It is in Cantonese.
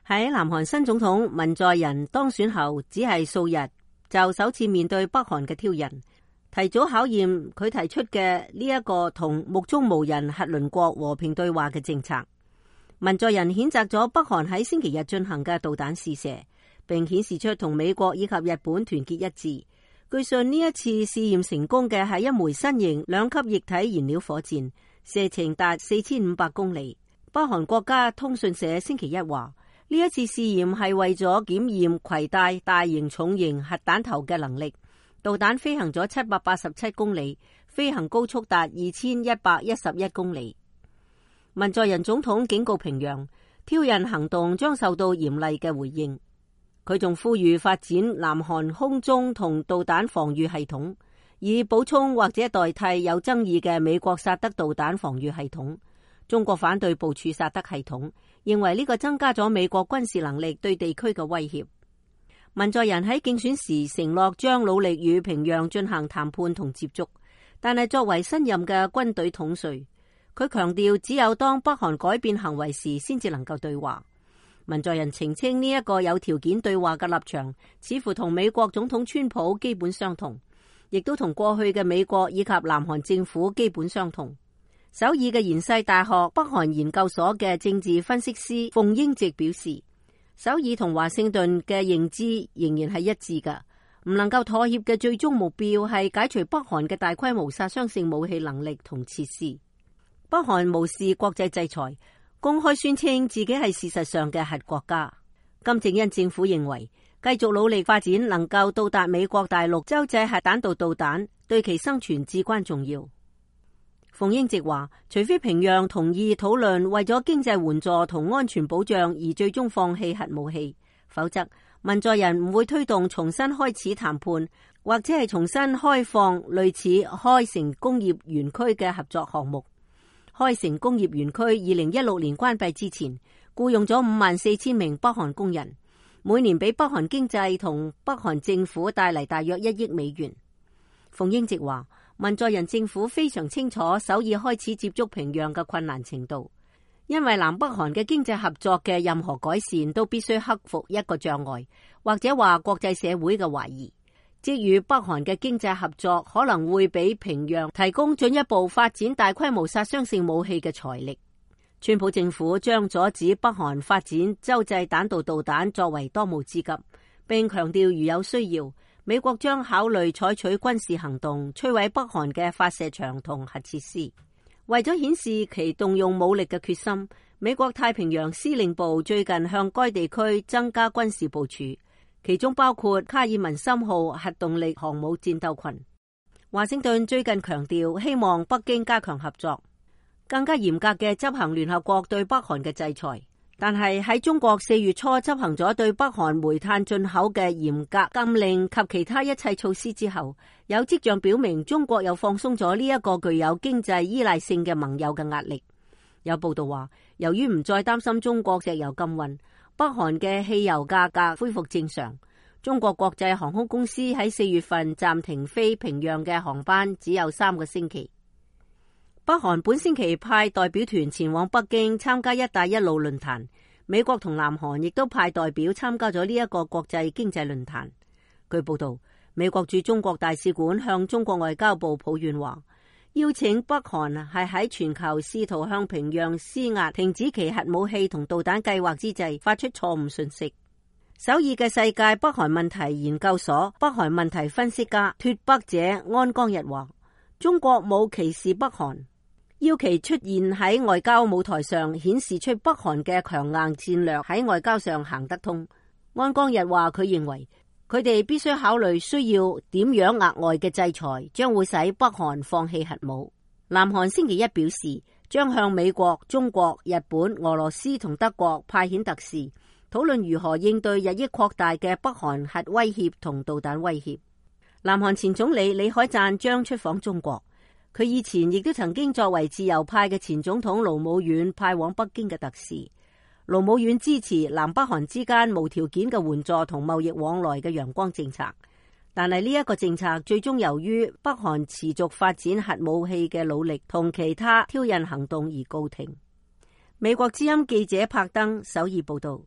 喺南韓新總統文在寅當選後，只係數日就首次面對北韓嘅挑釁，提早考驗佢提出嘅呢一個同目中無人核鄰國和平對話嘅政策。文在寅譴責咗北韓喺星期日進行嘅導彈試射，並顯示出同美國以及日本團結一致。據信呢一次試驗成功嘅係一枚新型兩級液體燃料火箭，射程達4500公里。北韓國家通訊社星期一話，呢一次試驗係為咗檢驗攜帶大型重型核彈頭嘅能力。導彈飛行咗787公里，飛行高速達2111公里。文在寅總統警告平壤，挑釁行動將受到嚴厲嘅回應。佢仲呼籲發展南韓空中同導彈防禦系統，以補充或者代替有爭議嘅美國薩德導彈防禦系統。中國反對部署薩德系統，認為呢個增加咗美國軍事能力對地區嘅威脅。文在寅喺競選時承諾將努力與平壤進行談判同接觸，但係作為新任嘅軍隊統帥，佢強調只有當北韓改變行為時先至能夠對話。文在寅澄清呢一個有條件對話嘅立場似乎同美國總統川普基本相同，亦都同過去嘅美國以及南韓政府基本相同。首爾嘅延世大學北韓研究所嘅政治分析師馮英直表示，首爾同華盛頓嘅認知仍然係一致㗎，唔能夠妥協嘅最終目標係解除北韓嘅大規模殺傷性武器能力同設施。北韓無視國際制裁，公開宣稱自己係事實上嘅核國家。金正恩政府認為，繼續努力發展能夠到達美國大陸洲際核彈道導彈，對其生存至關重要。馮英直話，除非平壤同意討論為咗經濟援助同安全保障而最終放棄核武器，否則文在寅唔會推動重新開始談判，或者係重新開放類似開城工業園區嘅合作項目。開城工業園區2016年關閉之前，僱用咗54000名北韓工人，每年俾北韓經濟同北韓政府帶嚟大約1億美元。馮英直話，文在寅政府非常清楚首爾開始接觸平壤嘅困難程度，因為南北韓嘅經濟合作嘅任何改善都必須克服一個障礙，或者話國際社會嘅懷疑，即與北韓嘅經濟合作可能會俾平壤提供進一步發展大規模殺傷性武器嘅財力。川普政府將阻止北韓發展洲際彈道導彈作為當務之急，並強調如有需要，美國將考慮採取軍事行動摧毀北韓嘅發射場同核設施。為咗顯示其動用武力嘅決心，美國太平洋司令部最近向該地區增加軍事部署，其中包括卡爾文森號核動力航母戰鬥群。華盛頓最近強調希望北京加強合作，更加嚴格嘅執行聯合國對北韓嘅制裁。但係喺中國4月初執行咗對北韓煤炭進口嘅嚴格禁令及其他一切措施之後，有跡象表明中國又放鬆咗呢一個具有經濟依賴性嘅盟友嘅壓力。有報道話，由於唔再擔心中國石油禁運，北韓嘅汽油價格恢復正常。中國國際航空公司喺4月份暫停飛平壤嘅航班只有3個星期。北韓本星期派代表團前往北京參加一帶一路論壇，美國同南韓亦都派代表參加咗呢一個國際經濟論壇。據報道，美國駐中國大使館向中國外交部抱怨話，邀請北韓係喺全球試圖向平壤施壓停止其核武器同導彈計劃之際發出錯誤訊息。首爾嘅世界北韓問題研究所北韓問題分析家脫北者安江日話，中國冇歧視北韓，要其出現喺外交舞台上，顯示出北韓嘅強硬戰略喺外交上行得通。安江日話，佢認為佢哋必須考慮需要點樣額外嘅制裁，將會使北韓放棄核武。南韓星期一表示，將向美國、中國、日本、俄羅斯同德國派遣特使，討論如何應對日益擴大嘅北韓核威脅同導彈威脅。南韓前總理李海贊將出訪中國。佢以前亦都曾經作為自由派嘅前總統盧武鉉派往北京嘅特使。盧武鉉支持南北韓之間無條件嘅援助同貿易往來嘅陽光政策，但係呢一個政策最終由於北韓持續發展核武器嘅努力同其他挑釁行動而告停。美國之音記者柏登首爾報道。